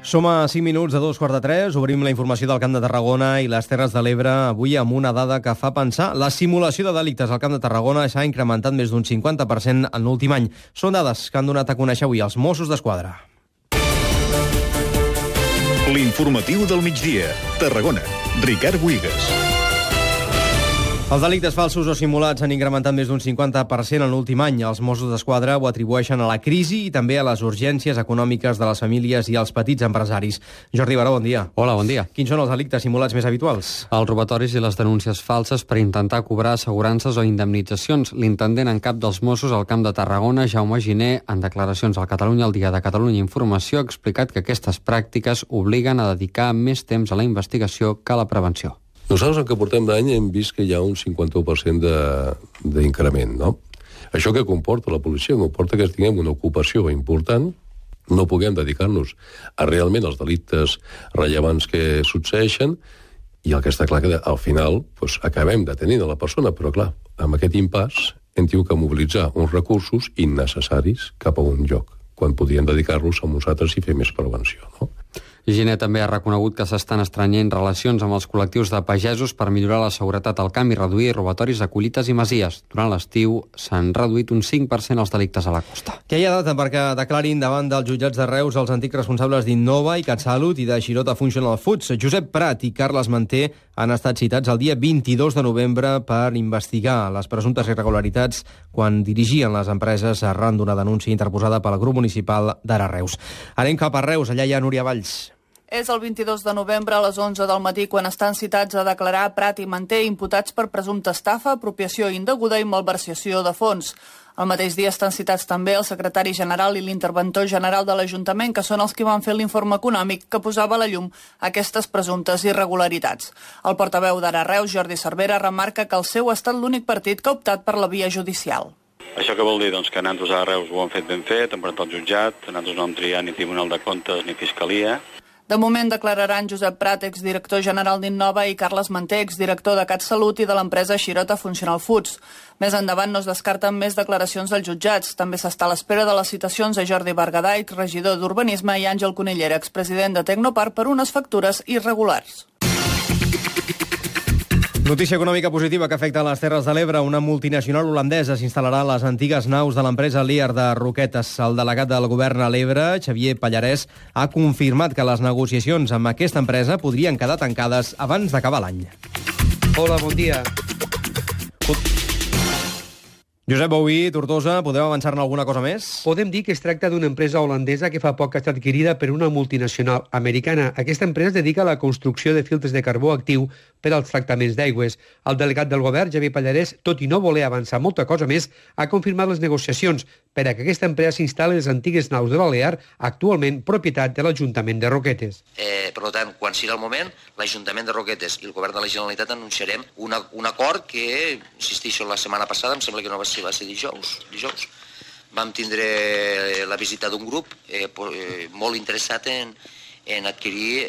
Som a 5 minuts de 2:45, obrim la informació del Camp de Tarragona i les Terres de l'Ebre, avui amb una dada que fa pensar. La simulació de delictes al Camp de Tarragona s'ha incrementat més d'un 50% en l'últim any. Són dades que han donat a conèixer avui els Mossos d'Esquadra. L'informatiu del migdia. Tarragona. Ricard Buigas. Els delictes falsos o simulats han incrementat més d'un 50% en l'últim any. Els Mossos d'Esquadra ho atribueixen a la crisi i també a les urgències econòmiques de les famílies i els petits empresaris. Jordi Baró, bon dia. Hola, bon dia. Quins són els delictes simulats més habituals? Els robatoris i les denúncies falses per intentar cobrar assegurances o indemnitzacions. L'intendent en cap dels Mossos al Camp de Tarragona, Jaume Giner, en declaracions al Catalunya al dia de Catalunya Informació, ha explicat que aquestes pràctiques obliguen a dedicar més temps a la investigació que a la prevenció. Nosaltres, en què portem d'any, hem vist que hi ha un 51% d'increment, no? Això que comporta la policia, comporta que tinguem una ocupació important, no puguem dedicar-nos a realment els delictes rellevants que succeeixen, i el que està clar que al final acabem detenint a la persona, però clar, amb aquest impàs hem tingut que mobilitzar uns recursos innecessaris cap a un lloc, quan podríem dedicar-los a uns altres i fer més prevenció, no? Giner també ha reconegut que s'estan estrenyent relacions amb els col·lectius de pagesos per millorar la seguretat al camp i reduir robatoris a collites i masies. Durant l'estiu s'han reduït un 5% els delictes a la costa. Què hi ha data perquè declarin davant dels jutjats de Reus els antics responsables d'Innova i CatSalut i de Xirota Functional Foods? Josep Prat i Carles Manté han estat citats el dia 22 de novembre per investigar les presumptes irregularitats quan dirigien les empreses arran d'una denúncia interposada pel grup municipal d'Ara Reus. Anem cap a Reus, allà hi ha Núria Valls. És el 22 de novembre a les 11 del matí quan estan citats a declarar Prat i Manté imputats per presumpta estafa, apropiació indeguda i malversació de fons. El mateix dia estan citats també el secretari general i l'interventor general de l'Ajuntament, que són els que van fer l'informe econòmic que posava a la llum aquestes presumptes irregularitats. El portaveu d'Ara Reus, Jordi Cervera, remarca que el seu ha estat l'únic partit que ha optat per la via judicial. Això què vol dir? Doncs que nosaltres a Reus ho han fet ben fet, hem presentat al jutjat, nosaltres no hem triat ni Tribunal de Comptes ni Fiscalia. De moment declararan Josep Prat, exdirector general d'Innova, i Carles Manté, exdirector de CatSalut i de l'empresa Xirota Functional Foods. Més endavant no es descarten més declaracions dels jutjats. També s'està a l'espera de les citacions a Jordi Bergadà, regidor d'Urbanisme, i Àngel Conillera, expresident de Tecnoparc, per unes factures irregulars. Notícia econòmica positiva que afecta a les Terres de l'Ebre. Una multinacional holandesa s'instal·larà a les antigues naus de l'empresa Lear de Roquetes. El delegat del govern a l'Ebre, Xavier Pallarès, ha confirmat que les negociacions amb aquesta empresa podrien quedar tancades abans d'acabar l'any. Hola, bon dia. Josep Bouí, Tortosa, podeu avançar-ne alguna cosa més? Podem dir que es tracta d'una empresa holandesa que fa poc ha estat adquirida per una multinacional americana. Aquesta empresa es dedica a la construcció de filtres de carbó actiu per als tractaments d'aigües. El delegat del govern, Xavier Pallarès, tot i no voler avançar molta cosa més, ha confirmat les negociacions per a que aquesta empresa s'instal·li les antigues naus de l'Alear, actualment propietat de l'Ajuntament de Roquetes. Per tant, quan sigui el moment, l'Ajuntament de Roquetes i el Govern de la Generalitat anunciarem un acord que, insisteixo, la setmana passada, em sembla que no va ser dijous, vam tindre la visita d'un grup molt interessat en adquirir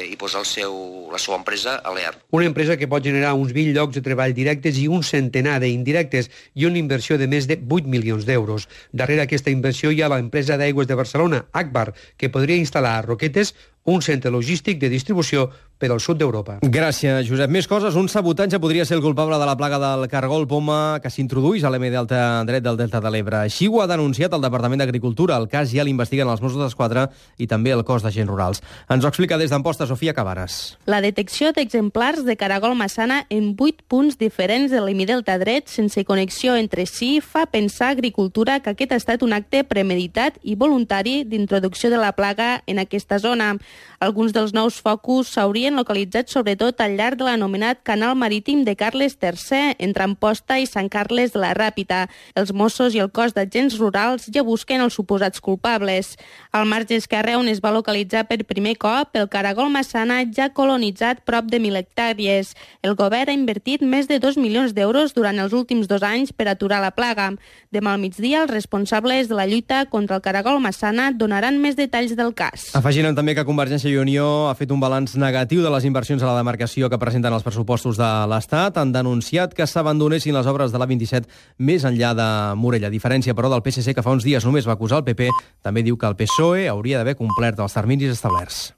i posar la seva empresa a l'EAR. Una empresa que pot generar uns 20 llocs de treball directes i un centenar d'indirectes i una inversió de més de 8 milions d'euros. Darrere aquesta inversió hi ha l'empresa d'aigües de Barcelona, Agbar, que podria instal·lar a Roquetes un centre logístic de distribució per al sud d'Europa. Gràcies, Josep. Més coses. Un sabotatge podria ser el culpable de la plaga del cargol poma que s'introduís a l'M Delta dret del Delta de l'Ebre. Així ho ha denunciat el Departament d'Agricultura. El cas ja l'investiguen els Mossos d'Esquadra i també el cos d'agents rurals. Ens ho explica des d'Amposta Sofia Cabares. La detecció d'exemplars de caragol massana en 8 punts diferents de l'hemidelta dret sense connexió entre si fa pensar a Agricultura que aquest ha estat un acte premeditat i voluntari d'introducció de la plaga en aquesta zona. Alguns dels nous focus s'haurien localitzat sobretot al llarg de l'anomenat canal marítim de Carles III, entre Amposta i Sant Carles de la Ràpita. Els Mossos i el cos d'agents rurals ja busquen els suposats culpables. Al marge esquerre, on es va localitzar per primer cop, el caragol massana ja ha colonitzat prop de 1.000 hectàrees. El govern ha invertit més de 2 milions d'euros durant els últims 2 anys per aturar la plaga. Demà al migdia, els responsables de la lluita contra el caragol massana donaran més detalls del cas. Afegint també que Convergència i Unió ha fet un balanç negatiu motiu de les inversions a la demarcació que presenten els pressupostos de l'Estat. Han denunciat que s'abandonessin les obres de l'A27 més enllà de Morella. A diferència, però, del PSC, que fa uns dies només va acusar el PP, també diu que el PSOE hauria d'haver complert els terminis establerts.